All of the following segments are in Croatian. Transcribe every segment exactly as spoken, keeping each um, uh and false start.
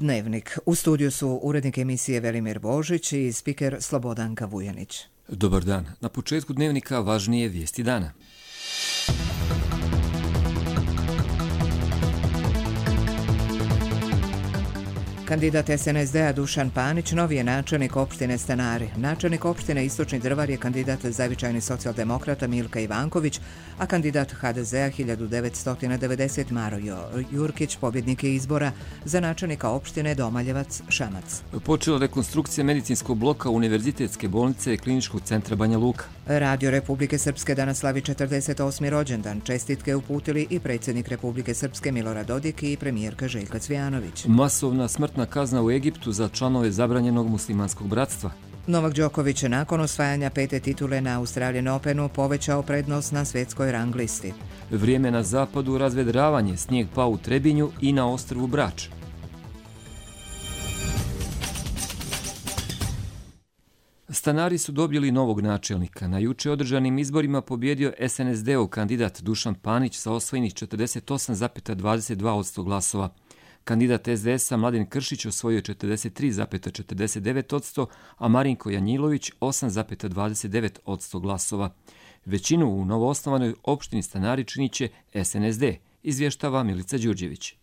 Dnevnik. U studiju su urednik emisije Velimir Božić i spiker Slobodanka Vujanić. Dobar dan. Na početku Dnevnika važnije vijesti dana. Kandidat es en es de a Dušan Panić novi je načelnik opštine Stanari. Načelnik opštine Istočni Drvar je kandidat zavičajni socijaldemokrata Milka Ivanković, a kandidat ha de ze a hiljadu devetsto devedeset Mario Jurkić pobjednik je izbora za načelnika opštine Domaljevac Šamac. Počela rekonstrukcija medicinskog bloka Univerzitetske bolnice i Kliničkog centra Banja Luka. Radio Republike Srpske danas slavi četrdeset osmi rođendan. Čestitke uputili i predsjednik Republike Srpske Milorad Dodik i premijerka Željka Cvijanović. Masovna smrtna kazna u Egiptu za članove zabranjenog muslimanskog bratstva. Novak Đoković je nakon osvajanja pete titule na Australian Openu povećao prednost na svjetskoj rang listi. Vrijeme na zapadu, razvedravanje, snijeg pao u Trebinju i na ostrvu Brač. Stanari su dobili novog načelnika. Na juče održanim izborima pobjedio es en es de-ov kandidat Dušan Panić sa osvojenih četrdeset osam zarez dvadeset dva posto glasova. Kandidat es de es a Mladen Kršić osvojio četrdeset tri zarez četrdeset devet posto, a Marinko Janjilović osam zarez dvadeset devet posto glasova. Većinu u novoosnovanoj opštini Stanari činit će es en es de, izvještava Milica Đurđević.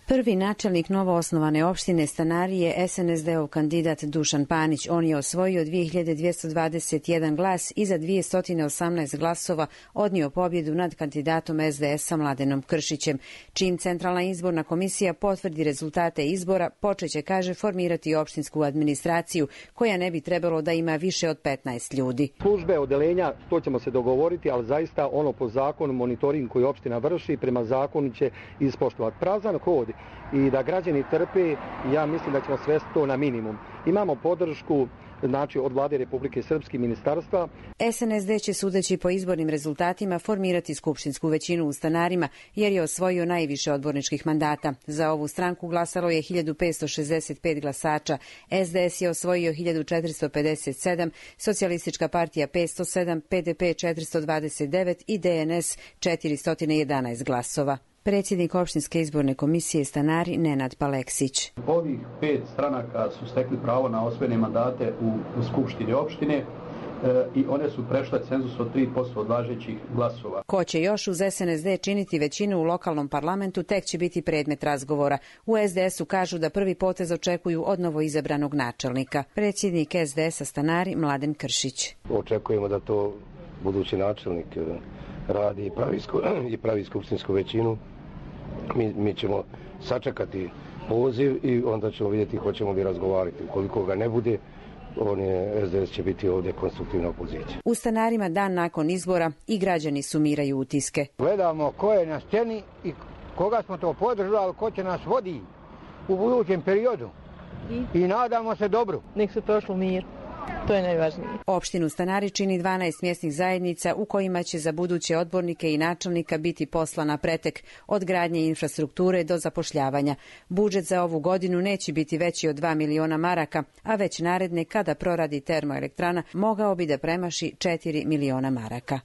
Prvi načelnik novoosnovane opštine Stanari je es en es de-ov kandidat Dušan Panić. On je osvojio dvije hiljade dvjesto dvadeset jedan glas i za dvjesto osamnaest glasova odnio pobjedu nad kandidatom es de es a Mladenom Kršićem. Čim Centralna izborna komisija potvrdi rezultate izbora, počeće, kaže, formirati opštinsku administraciju, koja ne bi trebalo da ima više od petnaest ljudi. Službe, odelenja, to ćemo se dogovoriti, ali zaista ono po zakonu, monitoring koji opština vrši, prema zakonu će ispoštovati. Prazan hod i da građani trpe, ja mislim da ćemo svesti to na minimum. Imamo podršku, znači, od Vlade Republike Srpske, ministarstva. es en es de će, sudeći po izbornim rezultatima, formirati skupštinsku većinu u Stanarima, jer je osvojio najviše odborničkih mandata. Za ovu stranku glasalo je hiljadu petsto šezdeset pet glasača, es de es je osvojio hiljadu četiristo pedeset sedam, Socijalistička partija petsto sedam, pe de pe četiristo dvadeset devet i de en es četiristo jedanaest glasova. Predsjednik opštinske izborne komisije Stanari Nenad Paleksić. Ovih pet stranaka su stekli pravo na osvojene mandate u, u skupštini opštine e, i one su prešle cenzus od tri posto od važećih glasova. Ko će još uz es en es de činiti većinu u lokalnom parlamentu, tek će biti predmet razgovora. U es de es u kažu da prvi potez očekuju od novoizabranog načelnika. Predsjednik es de es a Stanari Mladen Kršić. Očekujemo da to budući načelnik radi i pravi, i pravi skupštinsku većinu. Mi, mi ćemo sačekati poziv i onda ćemo vidjeti hoćemo li razgovarati. Ukoliko ga ne bude, on je, es de es će biti ovdje konstruktivna opozicija. U Stanarima dan nakon izbora i građani sumiraju utiske. Gledamo ko je na sceni i koga smo to podržali, ko će nas vodi u budućem periodu. I, I nadamo se dobro. Nek se prošlo mir. To je najvažnije. Opštinu Stanari čini dvanaest mjesnih zajednica u kojima će za buduće odbornike i načelnika biti poslana pretek od gradnje infrastrukture do zapošljavanja. Budžet za ovu godinu neće biti veći od dva miliona maraka, a već naredne, kada proradi termoelektrana, mogao bi da premaši četiri miliona maraka.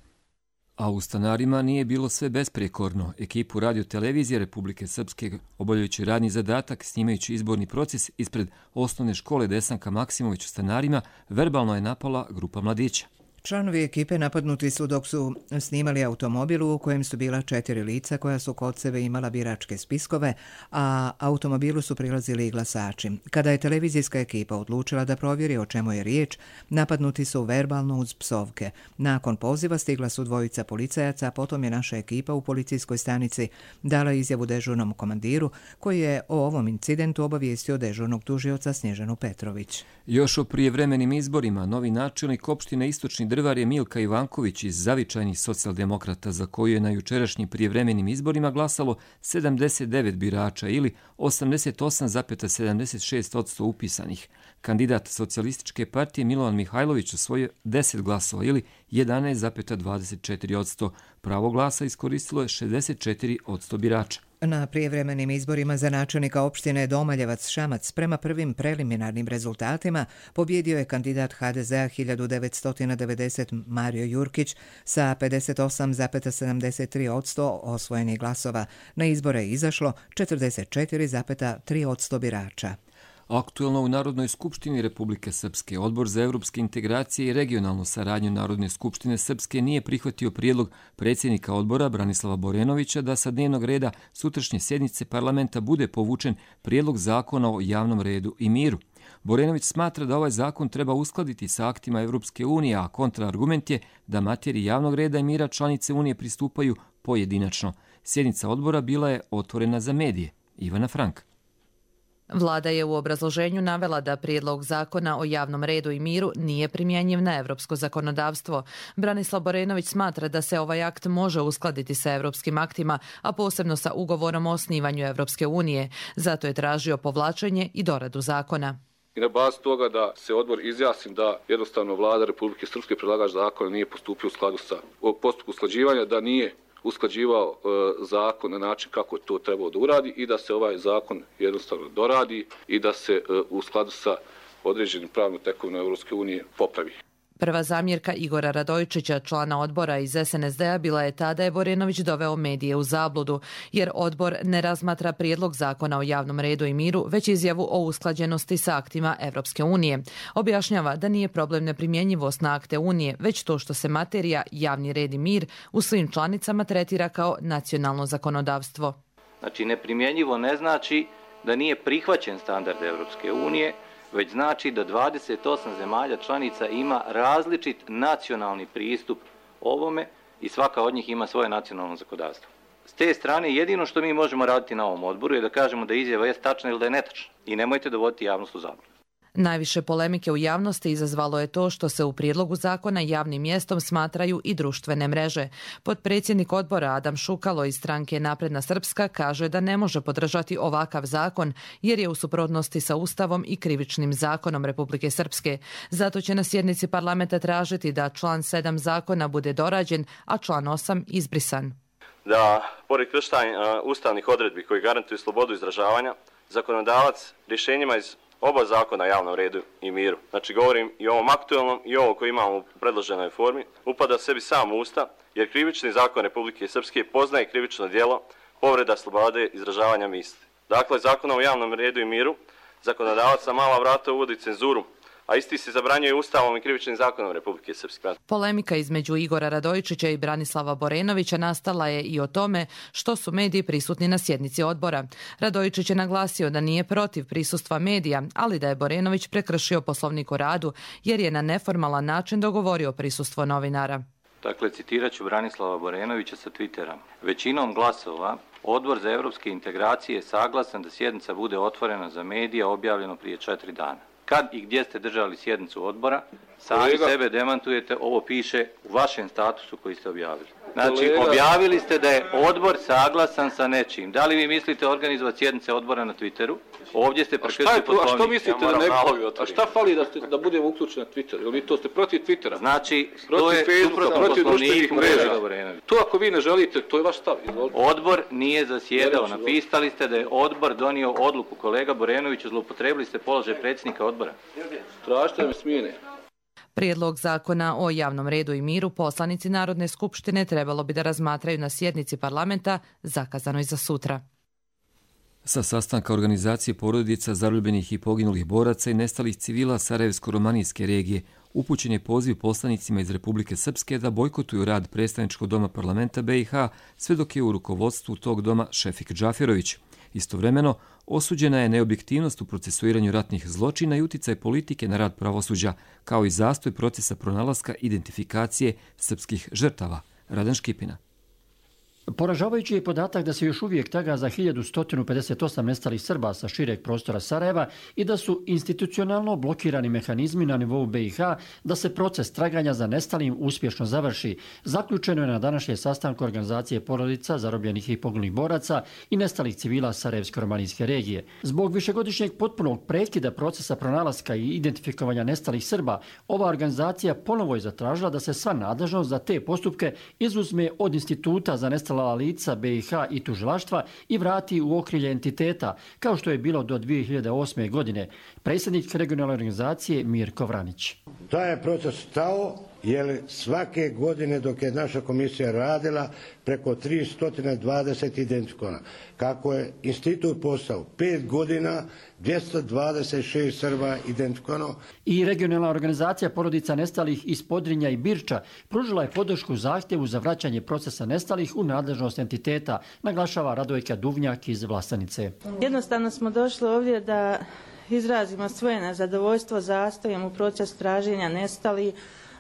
A u Stanarima nije bilo sve besprekorno. Ekipu Radio-televizije Republike Srpske, obavljajući radni zadatak, snimajući izborni proces ispred osnovne škole Desanka Maksimović u Stanarima, verbalno je napala grupa mladića. Članovi ekipe napadnuti su dok su snimali automobil u kojem su bila četiri lica koja su kod sebe imala biračke spiskove, a automobilu su prilazili i glasači. Kada je televizijska ekipa odlučila da provjeri o čemu je riječ, napadnuti su verbalno uz psovke. Nakon poziva stigla su dvojica policajaca, a potom je naša ekipa u policijskoj stanici dala izjavu dežurnom komandiru, koji je o ovom incidentu obavijestio dežurnog tužioca Snježanu Petrović. Još o prijevremenim izborima novi načelnik opštine Istočni Drvar je Milka Ivanković iz zavičajnih socijaldemokrata, za koju je na jučerašnjim prijevremenim izborima glasalo sedamdeset devet birača ili osamdeset osam zarez sedamdeset šest posto upisanih. Kandidat Socijalističke partije Milovan Mihajlović osvojio deset glasova ili jedanaest zarez dvadeset četiri posto. Pravo glasa iskoristilo je šezdeset četiri posto birača. Na prijevremenim izborima za načelnika opštine Domaljevac Šamac prema prvim preliminarnim rezultatima pobjedio je kandidat ha de zea hiljadu devetsto devedeset Mario Jurkić sa pedeset osam zarez sedamdeset tri posto osvojenih glasova. Na izbore je izašlo četrdeset četiri zarez tri posto birača. Aktuelno u Narodnoj skupštini Republike Srpske Odbor za evropske integracije i regionalnu saradnju Narodne skupštine Srpske nije prihvatio prijedlog predsjednika odbora Branislava Borenovića da sa dnevnog reda sutrašnje sjednice parlamenta bude povučen prijedlog zakona o javnom redu i miru. Borenović smatra da ovaj zakon treba uskladiti sa aktima Evropske unije, a kontraargument je da materiji javnog reda i mira članice unije pristupaju pojedinačno. Sjednica odbora bila je otvorena za medije. Ivana Frank. Vlada je u obrazloženju navela da prijedlog zakona o javnom redu i miru nije primjenjiv na evropsko zakonodavstvo. Branislav Borenović smatra da se ovaj akt može uskladiti sa evropskim aktima, a posebno sa ugovorom o osnivanju Evropske unije. Zato je tražio povlačenje i doradu zakona. I na bazi toga da se odbor izjasni da jednostavno vlada Republike Srpske, predlagač zakona, nije postupio u skladu sa postupku usklađivanja, da nije usklađivao e, zakon na način kako je to trebalo da uradi i da se ovaj zakon jednostavno doradi i da se e, u skladu sa određenim pravnom tekovinom Evropske unije popravi. Prva zamjerka Igora Radojčića, člana odbora iz es en es de a, bila je ta da je Borenović doveo medije u zabludu, jer odbor ne razmatra prijedlog zakona o javnom redu i miru, već izjavu o usklađenosti sa aktima Evropske unije. Objašnjava da nije problem neprimjenjivost na akte unije, već to što se materija javni red i mir u svim članicama tretira kao nacionalno zakonodavstvo. Znači, neprimjenjivo ne znači da nije prihvaćen standard Evropske unije, već znači da dvadeset osam zemalja članica ima različit nacionalni pristup ovome i svaka od njih ima svoje nacionalno zakonodavstvo. S te strane jedino što mi možemo raditi na ovom odboru je da kažemo da izjava je tačna ili da je netačna i nemojte dovoditi javnost u zabludu. Najviše polemike u javnosti izazvalo je to što se u prijedlogu zakona javnim mjestom smatraju i društvene mreže. Potpredsjednik odbora Adam Šukalo iz stranke Napredna Srpska kaže da ne može podržati ovakav zakon jer je u suprotnosti sa Ustavom i krivičnim zakonom Republike Srpske. Zato će na sjednici parlamenta tražiti da član sedam zakona bude dorađen, a član osam izbrisan. Da, pored kršenja ustavnih odredbi koji garantuju slobodu izražavanja, zakonodavac rješenjima iz oba zakona o javnom redu i miru, znači govorim i o ovom aktualnom i ovo koji imamo u predloženoj formi, upada sebi sam u usta, jer krivični zakon Republike Srpske poznaje krivično djelo povreda slobode izražavanja misli. Dakle, zakonom o javnom redu i miru zakonodavac na mala vrata uvodi cenzuru, a isti se zabranjuje Ustavom i krivičnim zakonom Republike Srpske. Polemika između Igora Radojčića i Branislava Borenovića nastala je i o tome što su mediji prisutni na sjednici odbora. Radojčić je naglasio da nije protiv prisustva medija, ali da je Borenović prekršio Poslovnik o radu jer je na neformalan način dogovorio prisustvo novinara. Dakle, citirat ću Branislava Borenovića sa Twittera. Većinom glasova Odbor za evropske integracije je saglasan da sjednica bude otvorena za medije, objavljeno prije četiri dana. Kad i gdje ste držali sjednicu odbora, sami Kolega. sebe demantujete, ovo piše u vašem statusu koji ste objavili. Znači, Kolega. objavili ste da je odbor saglasan sa nečim. Da li vi mislite organizovati sjednice odbora na Twitteru? Ovdje ste prekršili Poslovnik. A što mislite ja da ne A šta fali da, ste, da budemo uključeni na Twitter? Ili to ste protiv Twittera? Znači, protiv to je Facebooka, protiv društvenih mreža. To ako vi ne želite, to je vaš stav. Izvolite. Odbor nije zasjedao. Napisali ste da je odbor donio odluku. Kolega Borenoviću, zloupotrebili ste položaj predsjednika odbora. Tražite da me smijene. Prijedlog zakona o javnom redu i miru poslanici Narodne skupštine trebalo bi da razmatraju na sjednici parlamenta zakazanoj za sutra. Sa sastanka organizacije porodica zarobljenih i poginulih boraca i nestalih civila Sarajevsko-romanijske regije upućen je poziv poslanicima iz Republike Srpske da bojkotuju rad predstavničkog doma parlamenta be i ha sve dok je u rukovodstvu tog doma Šefik Džaferović. Istovremeno, osuđena je neobjektivnost u procesuiranju ratnih zločina i uticaj politike na rad pravosuđa, kao i zastoj procesa pronalaska identifikacije srpskih žrtava. Radan Škipina. Poražavajući je podatak da se još uvijek traga za hiljadu sto pedeset osam nestalih Srba sa šireg prostora Sarajeva i da su institucionalno blokirani mehanizmi na nivou be i ha da se proces traganja za nestalim uspješno završi. Zaključeno je na današnjem sastanku organizacije porodica zarobljenih i poginulih boraca i nestalih civila Sarajevsko-romanijske regije. Zbog višegodišnjeg potpunog prekida procesa pronalaska i identifikovanja nestalih Srba, ova organizacija ponovo je zatražila da se sva nadležnost za te postupke izuzme od Instituta za nestala poslala lica B i H i tužilaštva i vrati u okrilje entiteta, kao što je bilo do dvije hiljade osme. godine. Predsjednik regionalne organizacije Mirko Vranić. Taj je proces stao jer svake godine dok je naša komisija radila preko tristo dvadeset identifikona. Kako je institut postao pet godina, dvjesto dvadeset šest Srba identifikovano. I regionalna organizacija porodica nestalih iz Podrinja i Birča pružila je podršku zahtjevu za vraćanje procesa nestalih u nadležnost entiteta, naglašava Radojka Duvnjak iz Vlasanice. Jednostavno smo došli ovdje da izrazimo svoje nezadovoljstvo zastojem u proces traženja nestalih,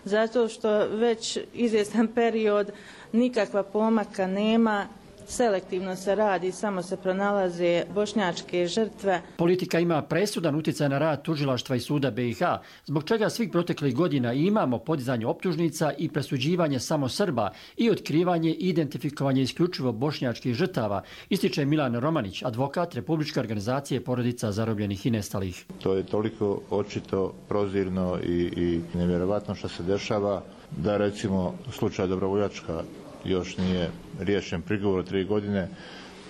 zato što već izvjestan period nikakva pomaka nema, selektivno se radi, samo se pronalaze bošnjačke žrtve. Politika ima presudan utjecaj na rad tužilaštva i suda B i H, zbog čega svih proteklih godina imamo podizanje optužnica i presuđivanje samo Srba i otkrivanje i identifikovanje isključivo bošnjačkih žrtava, ističe Milan Romanić, advokat Republičke organizacije porodica zarobljenih i nestalih. To je toliko očito, prozirno i, i nevjerovatno što se dešava da recimo slučaj Dobrovoljačka još nije riješen prigovor tri godine,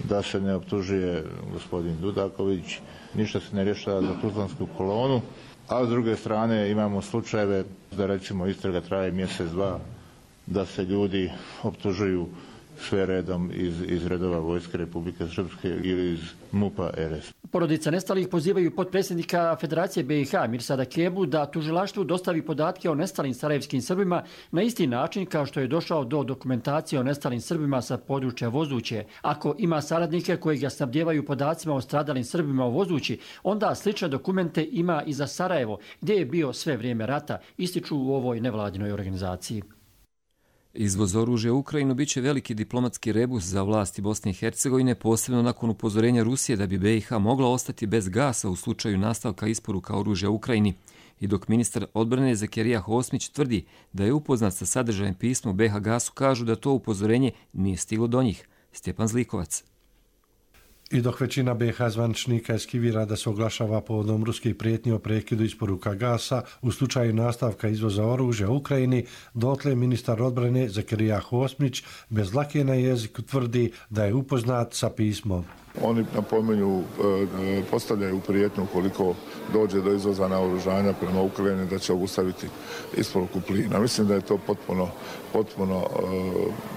da se ne optužuje gospodin Dudaković, ništa se ne rješava za Tuzlansku kolonu, a s druge strane imamo slučajeve da recimo istraga traje mjesec, dva, da se ljudi optužuju sve redom iz, iz redova Vojske Republike Srpske ili iz MUP-a R S. Porodica nestalih pozivaju potpredsjednika Federacije B i H Mirsada Kebu da tužilaštvu dostavi podatke o nestalim sarajevskim Srbima na isti način kao što je došao do dokumentacije o nestalim Srbima sa područja Vozuće. Ako ima saradnike koji ga snabdjevaju podacima o stradalim Srbima u Vozući, onda slične dokumente ima i za Sarajevo, gdje je bio sve vrijeme rata, ističu u ovoj nevladinoj organizaciji. Izvoz oružja u Ukrajinu biće veliki diplomatski rebus za vlasti Bosne i Hercegovine, posebno nakon upozorenja Rusije da bi B i H mogla ostati bez gasa u slučaju nastavka isporuka oružja Ukrajini. I dok ministar odbrane Zakirija Hosmić tvrdi da je upoznat sa sadržajem pisma B H gasu, kažu da to upozorenje nije stiglo do njih. Stjepan Zlikovac. I dok većina B H zvaničnika eskivira da se oglašava povodom ruskih prijetnji o prekidu isporuka gasa u slučaju nastavka izvoza oružja u Ukrajini, dotle ministar odbrane Zakirija Hosmić bez dlake na jeziku tvrdi da je upoznat sa pismom. Oni napominju, postavljaju prijetnju ukoliko dođe do izvoza naoružanja prema Ukrajini da će obustaviti isporuku plina. Mislim da je to potpuno, potpuno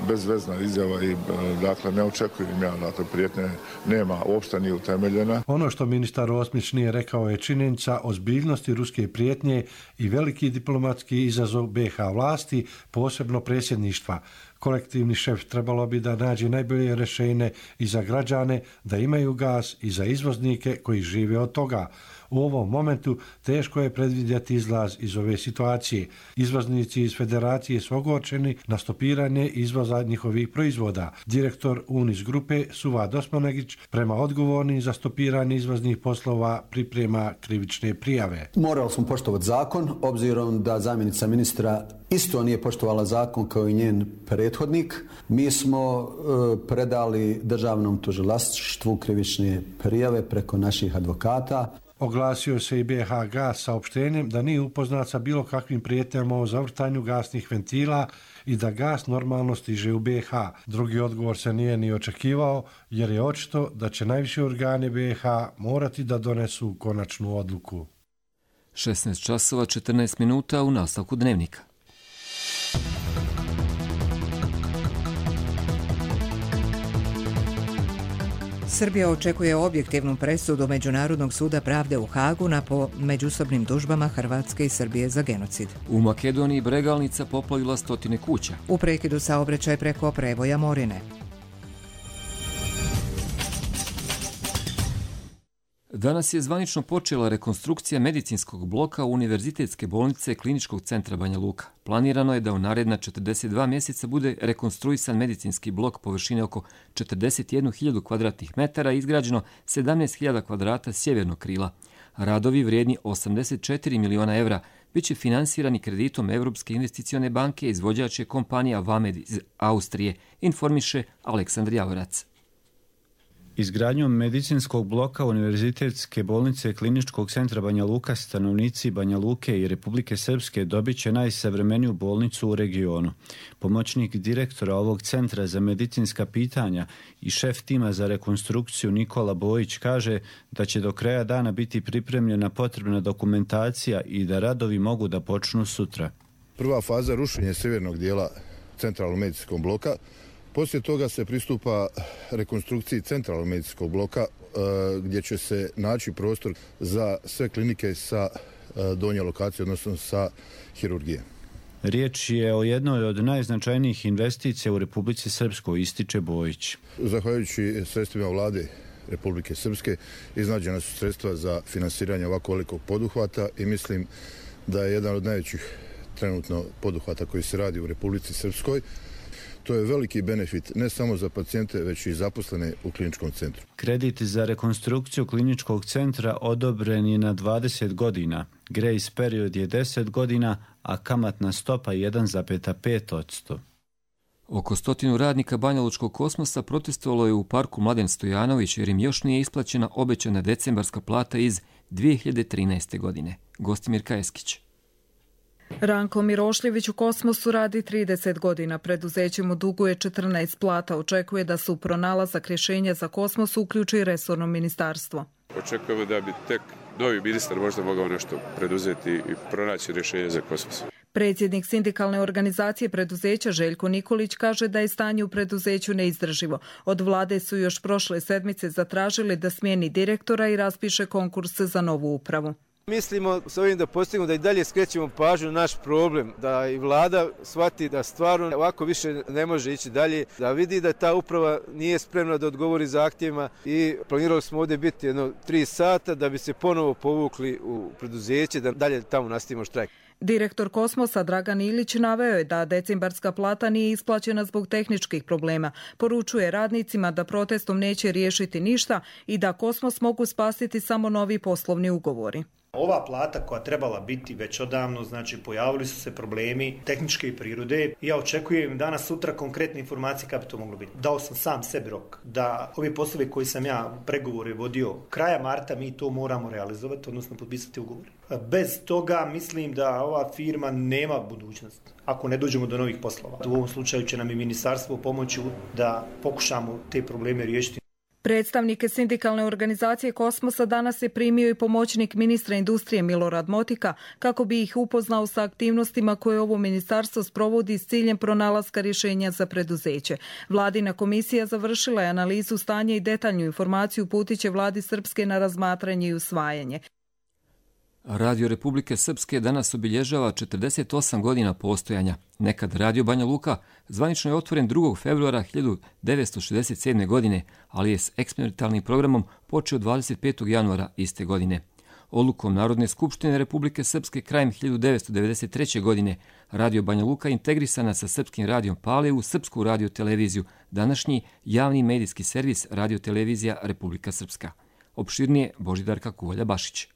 bezvezna izjava i dakle ne očekujem ja, dakle prijetnje nema, uopšte nije utemeljena. Ono što ministar Osmić nije rekao je činjenica ozbiljnosti ruske prijetnje i veliki diplomatski izazov B H vlasti, posebno predsjedništva. Kolektivni šef trebalo bi da nađe najbolje rješenje i za građane da imaju gas i za izvoznike koji žive od toga. U ovom momentu teško je predvidjeti izlaz iz ove situacije. Izvoznici iz federacije su ogorčeni na stopiranje izvoza njihovih proizvoda. Direktor Unis grupe Suvad Osmanagić prema odgovornim za stopiranje izvoznih poslova priprema krivične prijave. Morali smo poštovati zakon, obzirom da zamjenica ministra isto nije poštovala zakon kao i njen prethodnik. Mi smo e, predali državnom tužilaštvu krivične prijave preko naših advokata. Oglasio se i B H gas saopštenjem da nije upoznat sa bilo kakvim prijetnjama o zavrtanju gasnih ventila i da gas normalno stiže u B H. Drugi odgovor se nije ni očekivao jer je očito da će najviši organi B H morati da donesu konačnu odluku. šesnaest časova četrnaest minuta u nastavku dnevnika. Srbija očekuje objektivnu presudu Međunarodnog suda pravde u Hagu na po međusobnim tužbama Hrvatske i Srbije za genocid. U Makedoniji bregalnica poplavila stotine kuća. U prekidu saobraćaj preko prevoja Morine. Danas je zvanično počela rekonstrukcija medicinskog bloka Univerzitetske bolnice Kliničkog centra Banja Luka. Planirano je da u naredna četrdeset dva mjeseca bude rekonstruisan medicinski blok površine oko četrdeset jednu hiljadu kvadratnih metara i izgrađeno sedamnaest hiljada kvadrata sjevernog krila. Radovi vrijedni osamdeset četiri miliona evra bit će finansirani kreditom Europske investicione banke, izvođač je kompanija Vamed iz Austrije, informiše Aleksandar Javorac. Izgradnjom medicinskog bloka Univerzitetske bolnice Kliničkog centra Banja Luka stanovnici Banja Luke i Republike Srpske dobit će najsavremeniju bolnicu u regionu. Pomoćnik direktora ovog centra za medicinska pitanja i šef tima za rekonstrukciju Nikola Bojić kaže da će do kraja dana biti pripremljena potrebna dokumentacija i da radovi mogu da počnu sutra. Prva faza rušenja sjevernog dijela centralnog medicinskog bloka. Poslije toga se pristupa rekonstrukciji centralnog medicinskog bloka gdje će se naći prostor za sve klinike sa donje lokacije, odnosno sa hirurgije. Riječ je o jednoj od najznačajnijih investicija u Republici Srpskoj, ističe Bojić. Zahvaljujući sredstvima vlade Republike Srpske iznađena su sredstva za finansiranje ovako velikog poduhvata i mislim da je jedan od najvećih trenutno poduhvata koji se radi u Republici Srpskoj. To je veliki benefit ne samo za pacijente, već i zaposlene u kliničkom centru. Kredit za rekonstrukciju kliničkog centra odobren je na dvadeset godina. Grace period je deset godina, a kamatna stopa jedan zarez pet posto. Oko stotinu radnika Banjalučkog kosmosa protestovalo je u parku Mladen Stojanović jer im još nije isplaćena obećana decembarska plata iz dvije hiljade trinaeste. godine. Gostimir Kajeskić. Ranko Mirošljević u Kosmosu radi trideset godina. Preduzeće mu duguje četrnaest plata. Očekuje da su pronalazak rješenja za Kosmos uključi resorno ministarstvo. Očekujemo da bi tek novi ministar možda mogao nešto preduzeti i pronaći rješenje za Kosmos. Predsjednik sindikalne organizacije preduzeća Željko Nikolić kaže da je stanje u preduzeću neizdrživo. Od vlade su još prošle sedmice zatražili da smijeni direktora i raspiše konkurs za novu upravu. Mislimo s ovim da postignemo da i dalje skrećemo pažnju na naš problem, da i vlada shvati da stvarno ovako više ne može ići dalje, da vidi da ta uprava nije spremna da odgovori zahtjevima i planirali smo ovdje biti jedno tri sata da bi se ponovo povukli u preduzeće, da dalje tamo nastavimo štrajk. Direktor Kosmosa Dragan Ilić naveo je da decembarska plata nije isplaćena zbog tehničkih problema. Poručuje radnicima da protestom neće riješiti ništa i da Kosmos mogu spasiti samo novi poslovni ugovori. Ova plata koja trebala biti već odavno, znači pojavili su se problemi tehničke prirode. Ja očekujem danas sutra konkretne informacije kako bi to moglo biti. Dao sam sam sebi rok da ovi poslovi koji sam ja pregovore vodio kraja marta mi to moramo realizovati, odnosno potpisati ugovor. Bez toga mislim da ova firma nema budućnost ako ne dođemo do novih poslova. U ovom slučaju će nam i ministarstvo pomoći da pokušamo te probleme riješiti. Predstavnike sindikalne organizacije Kosmosa danas je primio i pomoćnik ministra industrije Milorad Motika kako bi ih upoznao sa aktivnostima koje ovo ministarstvo sprovodi s ciljem pronalaska rješenja za preduzeće. Vladina komisija završila je analizu stanja i detaljnu informaciju uputit će vladi Srpske na razmatranje i usvajanje. Radio Republike Srpske danas obilježava četrdeset osam godina postojanja. Nekad Radio Banja Luka zvanično je otvoren drugog februara hiljadu devetsto šezdeset sedme. godine, ali je s eksperimentalnim programom počeo dvadeset petog januara iste godine. Odlukom Narodne skupštine Republike Srpske krajem hiljadu devetsto devedeset treće. godine Radio Banja Luka integrisana sa Srpskim radijom Pale u Srpsku radioteleviziju, današnji javni medijski servis Radiotelevizija Republika Srpska. Opširnije Božidarka Kuvalja-Bašić.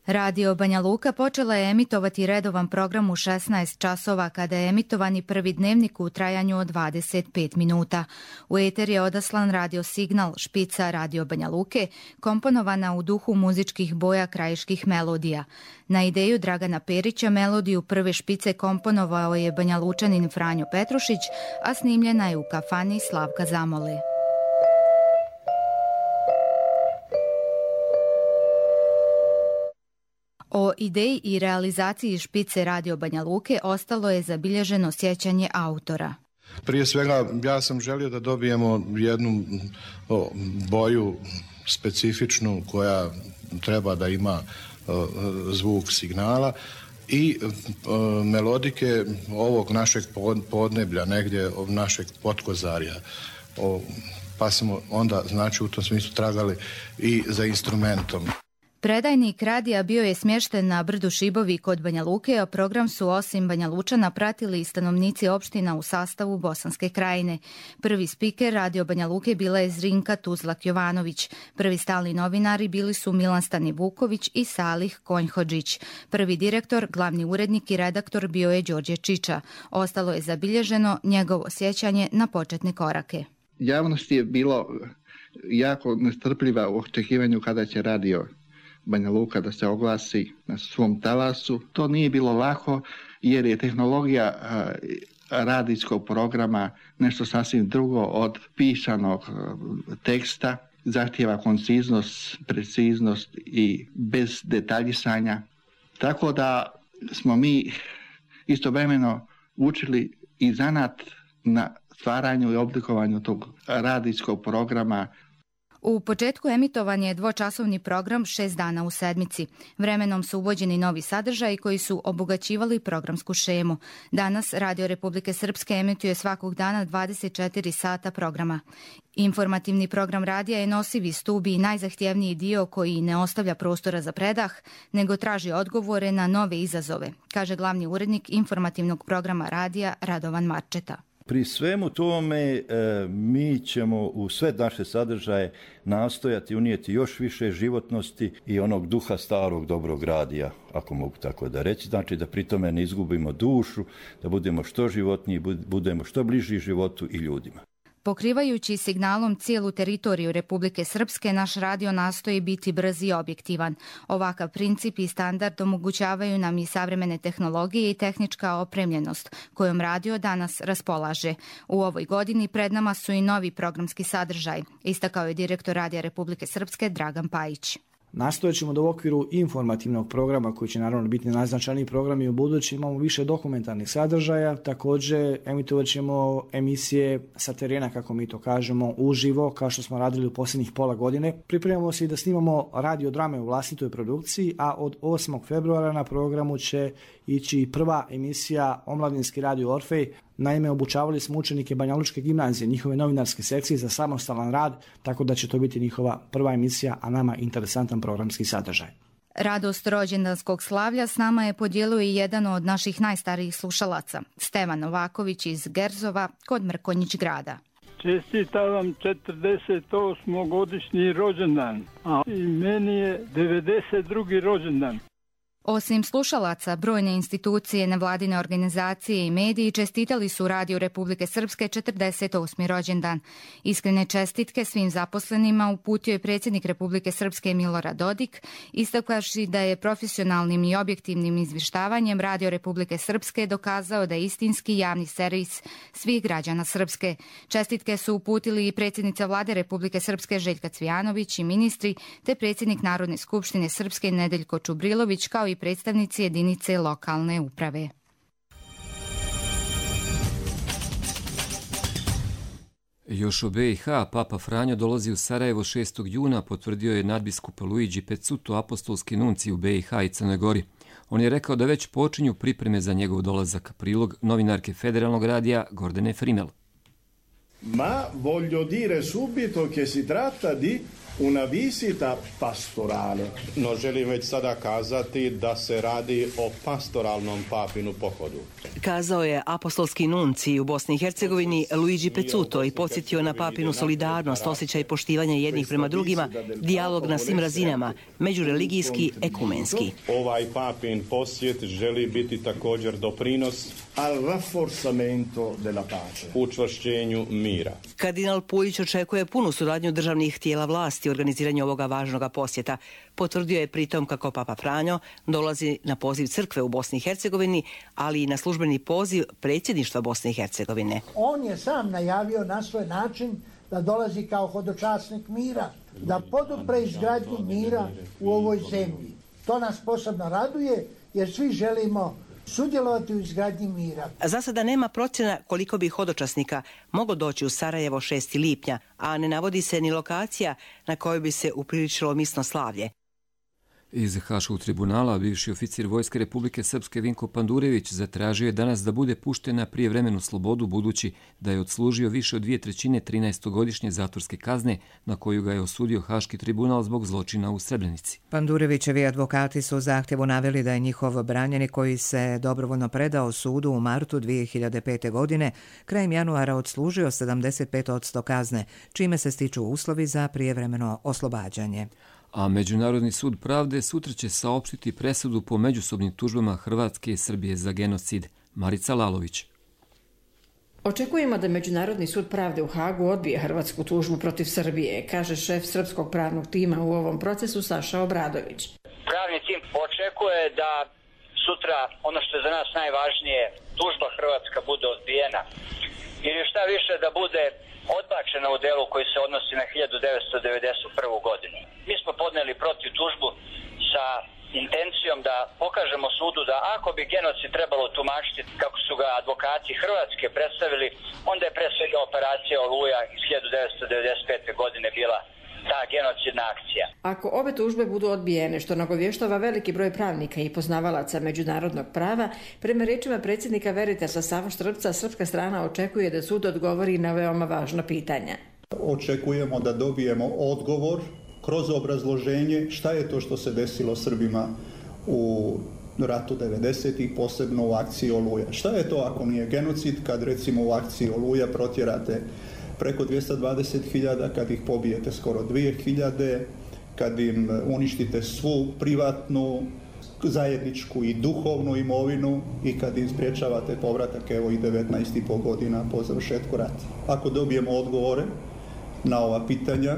Radio Banja Luka počela je emitovati redovan program u šesnaest časova kada je emitovani prvi dnevnik u trajanju od dvadeset pet minuta. U eter je odaslan radio signal špica Radio Banja Luke, komponovana u duhu muzičkih boja krajiških melodija. Na ideju Dragana Perića melodiju prve špice komponovao je Banja Lučanin Franjo Petrušić, a snimljena je u kafani Slavka Zamole. O ideji i realizaciji špice Radio Banja Luke ostalo je zabilježeno sjećanje autora. Prije svega ja sam želio da dobijemo jednu o, boju specifičnu koja treba da ima o, zvuk signala i o, melodike ovog našeg podneblja, negdje od našeg potkozarja. O, pa smo onda znači u tom smislu tragali i za instrumentom. Predajnik radija bio je smješten na brdu Šibovi kod Banja Luke, a program su osim Banja Lučana pratili i stanovnici opština u sastavu Bosanske krajine. Prvi spiker Radio Banja Luke bila je Zrinka Tuzlak-Jovanović. Prvi stalni novinari bili su Milan Stani Vuković i Salih Konjhodžić. Prvi direktor, glavni urednik i redaktor bio je Đorđe Čiča. Ostalo je zabilježeno njegovo sjećanje na početne korake. Javnosti je bilo jako nestrpljiva u očekivanju kada će radio Banja Luka da se oglasi na svom talasu. To nije bilo lako jer je tehnologija radijskog programa nešto sasvim drugo od pisanog teksta. Zahtijeva konciznost, preciznost i bez detaljisanja. Tako da smo mi istovremeno učili i zanat na stvaranju i oblikovanju tog radijskog programa. U početku emitovan je dvočasovni program šest dana u sedmici. Vremenom su uvođeni novi sadržaji koji su obogaćivali programsku šemu. Danas Radio Republike Srpske emituje svakog dana dvadeset četiri sata programa. Informativni program radija je nosivi stub i najzahtjevniji dio koji ne ostavlja prostora za predah, nego traži odgovore na nove izazove, kaže glavni urednik informativnog programa radija Radovan Marčeta. Pri svemu tome mi ćemo u sve naše sadržaje nastojati unijeti još više životnosti i onog duha starog dobrog radija, ako mogu tako da reći. Znači da pri tome ne izgubimo dušu, da budemo što životniji, budemo što bliži životu i ljudima. Pokrivajući signalom cijelu teritoriju Republike Srpske, naš radio nastoji biti brz i objektivan. Ovakav princip i standard omogućavaju nam i savremene tehnologije i tehnička opremljenost, kojom radio danas raspolaže. U ovoj godini pred nama su i novi programski sadržaj, istakao je direktor Radija Republike Srpske Dragan Pajić. Nastojat ćemo da u okviru informativnog programa, koji će naravno biti najznačajniji program i u budući, imamo više dokumentarnih sadržaja. Također emitovat ćemo emisije sa terena, kako mi to kažemo, uživo, kao što smo radili u posljednjih pola godine. Pripremamo se i da snimamo radiodrame u vlastitoj produkciji, a od osmog februara na programu će ići prva emisija Omladinski radio Orfej. Naime, obučavali smo učenike Banjalučke gimnazije, njihove novinarske sekcije za samostalan rad, tako da će to biti njihova prva emisija, a nama interesantan programski sadržaj. Radost rođendanskog slavlja s nama je podijelio i jedan od naših najstarijih slušalaca, Stevan Novaković iz Gerzova kod Mrkonjić grada. Čestitam vam četrdeset osmogodišnji rođendan, a i meni je devedeset drugi rođendan. Osim slušalaca, brojne institucije, nevladine organizacije i mediji čestitali su Radiju Republike Srpske četrdeset osmi rođendan. Iskrene čestitke svim zaposlenima uputio je predsjednik Republike Srpske Milorad Dodik, istakavši da je profesionalnim i objektivnim izvještavanjem Radio Republike Srpske dokazao da je istinski javni servis svih građana Srpske. Čestitke su uputili i predsjednica Vlade Republike Srpske Željka Cvijanović i ministri, te predsjednik Narodne skupštine Srpske Nedeljko Čubrilović, kao i predstavnici jedinice lokalne uprave. Još u B i H Papa Franjo dolazi u Sarajevo šestog juna, potvrdio je nadbiskup Luigi Pezzuto, apostolski nuncij u B i H i Crnoj Gori. On je rekao da već počinju pripreme za njegov dolazak. Prilog novinarke Federalnog radija Gordane Frimel. Ma voglio dire subito che si tratta di una visita pastorale. No želim već sada kazati da se radi o pastoralnom papinu pohodu. Kazao je apostolski nuncij u Bosni i Hercegovini Luigi Pezzuto i podsjetio na papinu solidarnost, osjećaj poštivanja jednih prema drugima, dijalog na svim razinama, međureligijski, ekumenski. Ovaj papin posjet želi biti također doprinos al rafforzamento della pace, učvršćenju mira. Kardinal Puljić očekuje punu suradnju državnih tijela vlasti u organiziranju ovoga važnog posjeta. Potvrdio je pritom kako Papa Franjo dolazi na poziv crkve u Bosni i Hercegovini, ali i na službeni poziv predsjedništva Bosne i Hercegovine. On je sam najavio na svoj način da dolazi kao hodočasnik mira, da podupre izgradnju mira u ovoj zemlji. To nas posebno raduje jer svi želimo sudjelovati u izgradnji mira. Za sada nema procjena koliko bi hodočasnika moglo doći u Sarajevo šestog lipnja, a ne navodi se ni lokacija na kojoj bi se upriličilo misno slavlje. Iz Haškog tribunala bivši oficir Vojske Republike Srpske Vinko Pandurević zatražio je danas da bude pušten na prijevremenu slobodu, budući da je odslužio više od dvije trećine trinaestogodišnje zatvorske kazne na koju ga je osudio Haški tribunal zbog zločina u Srebrenici. Pandurevićevi advokati su u zahtjevu naveli da je njihov branjenik, koji se dobrovoljno predao sudu u martu dvije hiljade pete. godine, krajem januara odslužio sedamdeset pet posto kazne, čime se stiču uslovi za prijevremeno oslobađanje. A Međunarodni sud pravde sutra će saopštiti presudu po međusobnim tužbama Hrvatske i Srbije za genocid. Marica Lalović. Očekujemo da Međunarodni sud pravde u Hagu odbije hrvatsku tužbu protiv Srbije, kaže šef srpskog pravnog tima u ovom procesu Saša Obradović. Pravni tim očekuje da sutra, ono što je za nas najvažnije, tužba hrvatska bude odbijena. Ili šta više da bude odbačena u delu koji se odnosi na hiljadu devetsto devedeset prvu godinu. Mi smo podneli protiv tužbu sa intencijom da pokažemo sudu da ako bi genocid trebalo tumačiti kako su ga advokati Hrvatske predstavili, onda je pre svega operacija Oluja iz hiljadu devetsto devedeset pete godine bila ta genocidna akcija. Ako ove tužbe budu odbijene, što nagovještava veliki broj pravnika i poznavalaca međunarodnog prava, prema rečima predsjednika Veritasa Savo Štrbca, srpska strana očekuje da sud odgovori na veoma važna pitanja. Očekujemo da dobijemo odgovor kroz obrazloženje šta je to što se desilo Srbima u ratu devedesetih, posebno u akciji Oluja. Šta je to ako nije genocid kad recimo u akciji Oluja protjerate preko dvjesto dvadeset hiljada, kad ih pobijete skoro dvije hiljade, kad im uništite svu privatnu, zajedničku i duhovnu imovinu i kad im spriječavate povratak evo i devetnaest i pol godina po završetku rata. Ako dobijemo odgovore na ova pitanja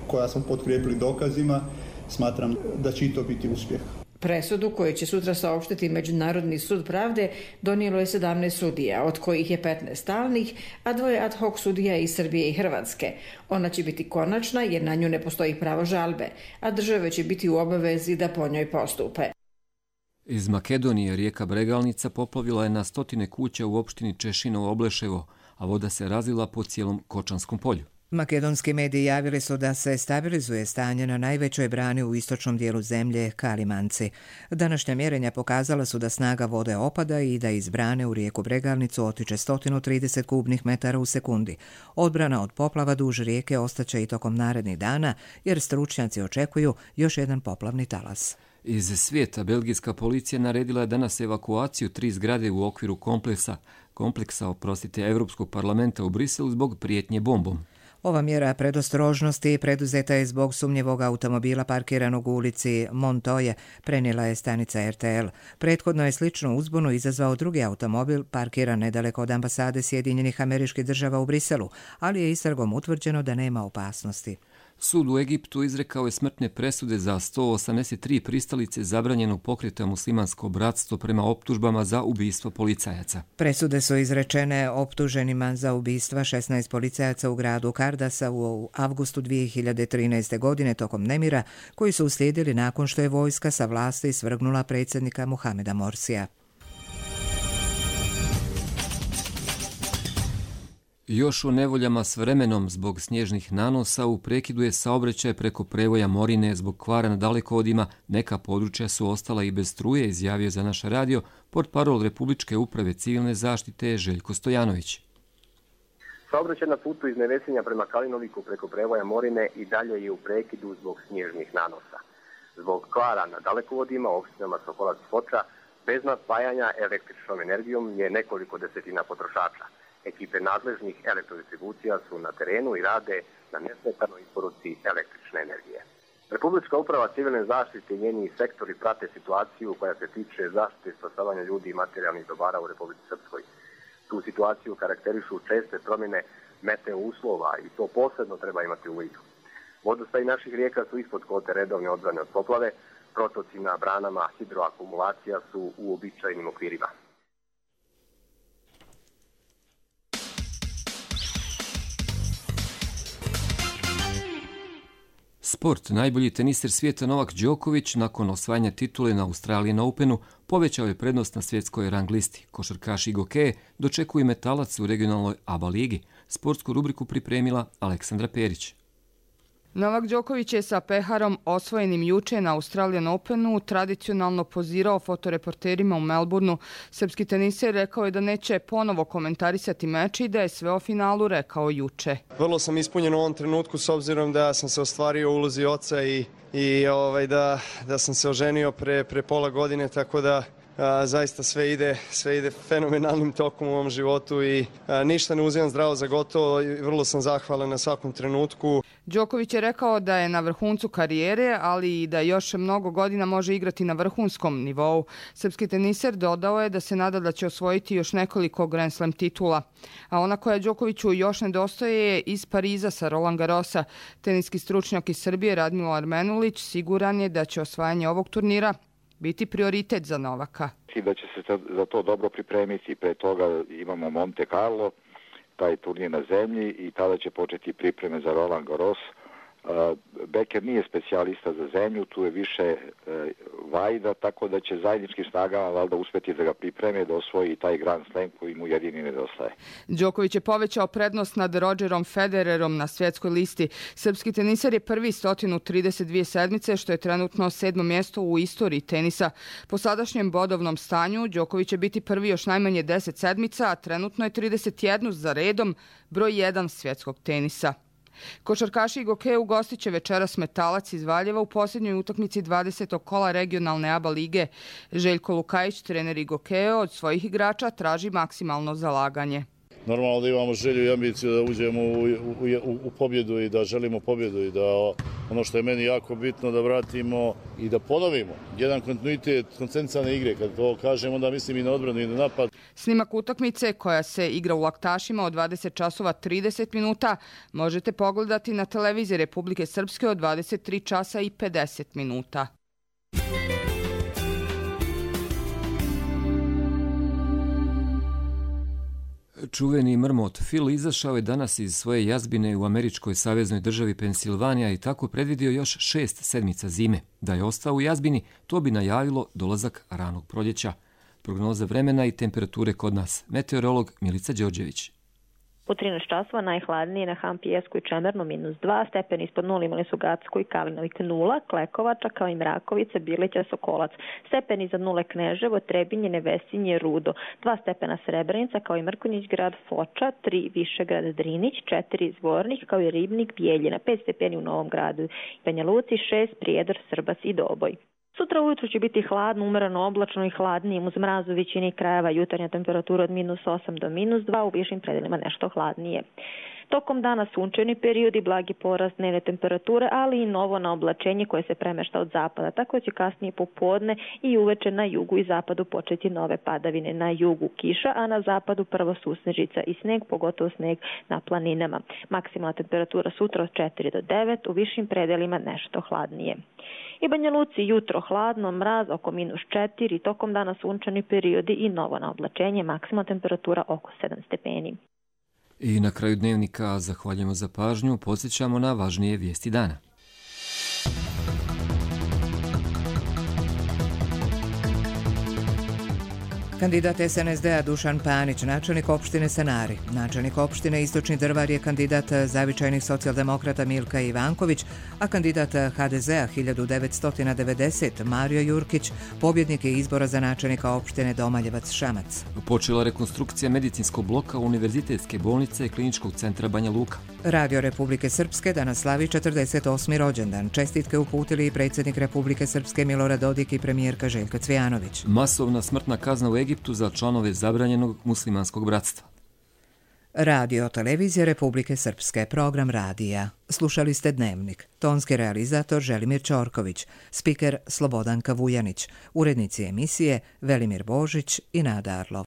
koja smo potkrijepili dokazima, smatram da će i to biti uspjeh. Presudu koju će sutra saopštiti Međunarodni sud pravde donijelo je sedamnaest sudija, od kojih je petnaest stalnih, a dvoje ad hoc sudija iz Srbije i Hrvatske. Ona će biti konačna jer na nju ne postoji pravo žalbe, a države će biti u obavezi da po njoj postupe. Iz Makedonije rijeka Bregalnica poplavila je na stotine kuća u opštini Češinovo Obleševo, a voda se razlila po cijelom Kočanskom polju. Makedonski mediji javili su da se stabilizuje stanje na najvećoj brani u istočnom dijelu zemlje, Kalimanci. Današnja mjerenja pokazala su da snaga vode opada i da iz brane u rijeku Bregalnicu otiče sto trideset kubnih metara u sekundi. Odbrana od poplava duž rijeke ostaće i tokom narednih dana, jer stručnjaci očekuju još jedan poplavni talas. Iz svijeta belgijska policija naredila je danas evakuaciju tri zgrade u okviru kompleksa, kompleksa oprostite, Europskog parlamenta u Briselu zbog prijetnje bombom. Ova mjera predostrožnosti preduzeta je zbog sumnjivog automobila parkiranog u ulici Montoje, prenijela je stanica R T L. Prethodno je sličnu uzbunu izazvao drugi automobil parkiran nedaleko od ambasade Sjedinjenih Američkih Država u Briselu, ali je istragom utvrđeno da nema opasnosti. Sud u Egiptu izrekao je smrtne presude za sto osamdeset tri pristalice zabranjenog pokreta Muslimansko bratstvo prema optužbama za ubistvo policajaca. Presude su izrečene optuženima za ubistva šesnaest policajaca u gradu Kardasa u avgustu dvije hiljade trinaeste. godine tokom nemira koji su uslijedili nakon što je vojska sa vlasti svrgnula predsjednika Muhameda Morsija. Još u nevoljama s vremenom zbog snježnih nanosa u prekidu je saobraćaj preko prevoja Morine zbog kvara na dalekovodima. Neka područja su ostala i bez struje, izjavio za naš radio portparol Republičke uprave civilne zaštite Željko Stojanović. Saobraćaj na putu iz Nevesinja prema Kalinoviku preko prevoja Morine i dalje je u prekidu zbog snježnih nanosa. Zbog kvara na dalekovodima u opštinama Sokolac i Foča bez napajanja električnom energijom je nekoliko desetina potrošača. Ekipe nadležnih elektrodistribucija su na terenu i rade na nesmetanoj isporuci električne energije. Republička uprava civilne zaštite i njeni sektori prate situaciju koja se tiče zaštite i spasavanja ljudi i materijalnih dobara u Republici Srpskoj. Tu situaciju karakterišu česte promjene meteo uslova i to posebno treba imati u vidu. Vodostaj naših rijeka su ispod kvote redovne odbrane od poplave, protoci na branama hidroakumulacija su u običajnim okvirima. Sport. Najbolji teniser svijeta Novak Đoković nakon osvajanja titule na Australian Openu povećao je prednost na svjetskoj rang listi. Košarkaš Igo Keje dočekuje Metalac u regionalnoj A B A ligi. Sportsku rubriku pripremila Aleksandra Perić. Novak Đoković je sa peharom osvojenim juče na Australian Openu tradicionalno pozirao fotoreporterima u Melbourneu. Srpski teniser rekao je da neće ponovo komentarisati meč i da je sve o finalu rekao juče. Vrlo sam ispunjen u ovom trenutku s obzirom da sam se ostvario u ulozi oca i, i ovaj, da, da sam se oženio pre, pre pola godine, tako da zaista sve ide, sve ide fenomenalnim tokom u ovom životu i ništa ne uzimam zdravo za gotovo i vrlo sam zahvalan na svakom trenutku. Đoković je rekao da je na vrhuncu karijere, ali i da još mnogo godina može igrati na vrhunskom nivou. Srpski teniser dodao je da se nada da će osvojiti još nekoliko Grand Slam titula. A ona koja Đokoviću još nedostaje je iz Pariza sa Roland Garrosa. Teniski stručnjak iz Srbije Radmilo Armenulić siguran je da će osvajanje ovog turnira biti prioritet za Novaka. I da će se za to dobro pripremiti. Pre toga imamo Monte Carlo, taj turnir na zemlji i tada će početi pripreme za Roland Garros. Becker nije specijalista za zemlju, tu je više vajda, tako da će zajedničkim snagama valjda uspjeti da ga pripreme, da osvoji taj Grand Slam koji mu jedini nedostaje. Đoković je povećao prednost nad Rogerom Federerom na svjetskoj listi. Srpski teniser je prvi sto trideset dvije sedmice, što je trenutno sedmo mjesto u istoriji tenisa. Po sadašnjem bodovnom stanju Đoković će biti prvi još najmanje deset sedmica, a trenutno je trideset jedan za redom, broj jedan svjetskog tenisa. Košarkaši Gokeja ugostit će večeras Metalac iz Valjeva u posljednjoj utakmici dvadesetog kola regionalne A B A lige. Željko Lukajić, trener Gokeja, od svojih igrača traži maksimalno zalaganje. Normalno da imamo želju i ambiciju da uđemo u, u, u pobjedu i da želimo pobjedu i da ono što je meni jako bitno da vratimo i da ponovimo jedan kontinuitet koncentrane igre. Kad to kažem, onda mislim i na odbranu i na napad. Snimak utakmice koja se igra u Laktašima od dvadeset časova trideset minuta možete pogledati na televiziji Republike Srpske od dvadeset tri časa i pedeset minuta. Čuveni mrmot Phil izašao je danas iz svoje jazbine u američkoj saveznoj državi Pensilvanija i tako predvidio još šest sedmica zime. Da je ostao u jazbini, to bi najavilo dolazak ranog proljeća. Prognoza vremena i temperature kod nas. Meteorolog Milica Đorđević. U trinaest časova najhladnije na Hampijesku i Čemernu minus dva, stepeni ispod nula imali su Gacko i Kalinovik nula, Klekovača kao i Mrakovica, Bilića, Sokolac, stepeni iznad nule Kneževo, Trebinje, Nevesinje, Rudo, dva stepena Srebrenica kao i Mrkonjić grad, Foča, tri Višegrad, Drinić, četiri Zvornik kao i Ribnik, Bijeljina, pet stepeni u Novom Gradu, Banja Luci, šest Prijedor, Srbac i Doboj. Sutra ujutru će biti hladno, umereno oblačno i hladnije uz mraz u većini krajeva, jutarnja temperatura od minus osam do minus dva, u višim predelima nešto hladnije. Tokom dana sunčani period i blagi porast dnevne temperature, ali i novo na oblačenje koje se premešta od zapada, tako će kasnije popodne i uveče na jugu i zapadu početi nove padavine. Na jugu kiša, a na zapadu prvo susnežica i sneg, pogotovo sneg na planinama. Maksimalna temperatura sutra od četiri do devet, u višim predelima nešto hladnije. I Banja Luci jutro hladno, mraz oko minus četiri, tokom dana sunčani periodi i novo na oblačenje, maksimalna temperatura oko sedam stepeni. I na kraju dnevnika zahvaljujemo za pažnju, podsjećamo na važnije vijesti dana. Kandidat S N S D-a Dušan Panić, načelnik opštine Sanari. Načelnik opštine Istočni Drvar je kandidat zavičajnih socijaldemokrata Milka Ivanković, a kandidat H D Z-a hiljadu devetsto devedeset Mario Jurkić, pobjednik je izbora za načelnika opštine Domaljevac Šamac. Počela rekonstrukcija medicinskog bloka Univerzitetske bolnice i Kliničkog centra Banja Luka. Radio Republike Srpske danas slavi četrdeset osmi rođendan. Čestitke uputili i predsjednik Republike Srpske Milorad Dodik i premijerka Željka Cvijanović. Masovna smrtna kazna u Egiptu za članove zabranjenog muslimanskog bratstva. Radio Televizija Republike Srpske, program radija. Slušali ste Dnevnik. Tonski realizator Želimir Ćorković, spiker Slobodanka Vujanić, urednici emisije Velimir Božić i Nada Arlov.